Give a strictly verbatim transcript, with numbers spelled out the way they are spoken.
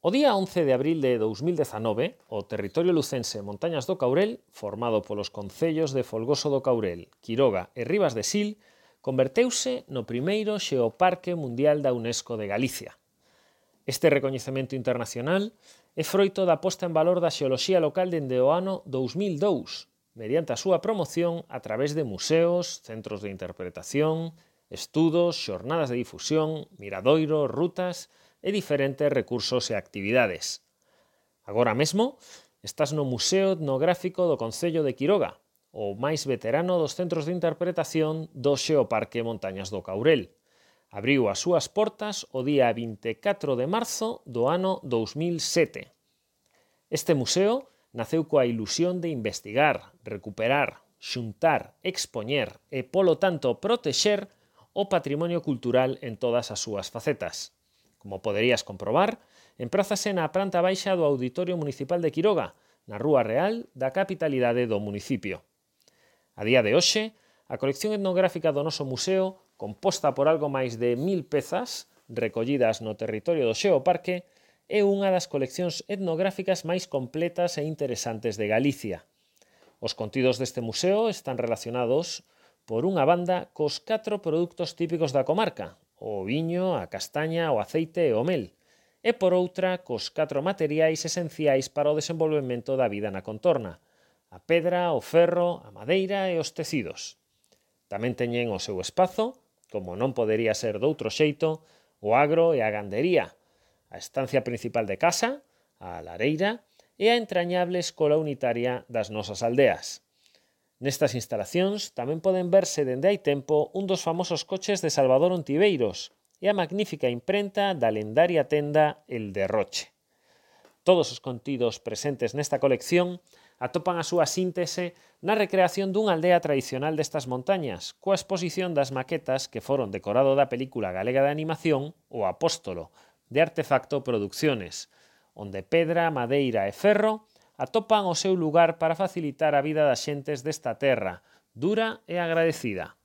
O día once de abril de dous mil dezanove, o territorio lucense Montañas do Caurel, formado polos concellos de Folgoso do Caurel, Quiroga e Ribas de Sil, converteuse no primeiro Xeoparque Mundial da UNESCO de Galicia. Este recoñecemento internacional é froito da posta en valor da xeoloxía local dende o ano dous mil dous, mediante a súa promoción a través de museos, centros de interpretación, estudos, xornadas de difusión, miradoiros, rutas e diferentes recursos e actividades. Agora mesmo, estás no Museo Etnográfico do Concello de Quiroga, o máis veterano dos centros de interpretación do Xeoparque Montañas do Caurel. Abriu as súas portas o día vinte e catro de marzo do ano dous mil sete. Este museo naceu coa ilusión de investigar, recuperar, xuntar, expoñer e, polo tanto, protexer o patrimonio cultural en todas as súas facetas. Como poderías comprobar, emprázase na planta baixa do Auditorio Municipal de Quiroga, na Rúa Real da capitalidade do municipio. A día de hoxe, a colección etnográfica do noso museo, composta por algo máis de mil pezas, recollidas no territorio do Xeoparque, é unha das coleccións etnográficas máis completas e interesantes de Galicia. Os contidos deste museo están relacionados, por unha banda, cos catro produtos típicos da comarca, o viño, a castaña, o aceite e o mel, e por outra, cos catro materiais esenciais para o desenvolvemento da vida na contorna, a pedra, o ferro, a madeira e os tecidos. Tamén teñen o seu espazo, como non podería ser doutro xeito, o agro e a gandería, a estancia principal de casa, a lareira e a entrañable escola unitaria das nosas aldeas. Nestas instalacións tamén poden verse dende hai tempo un dos famosos coches de Salvador Ontiveiros e a magnífica imprenta da lendaria tenda El Derroche. Todos os contidos presentes nesta colección atopan a súa síntese na recreación dunha aldea tradicional destas montañas, coa exposición das maquetas que foron decorado da película galega de animación O Apóstolo, de Artefacto Producciones, onde pedra, madeira e ferro atopan o seu lugar para facilitar a vida das xentes desta terra, dura e agradecida.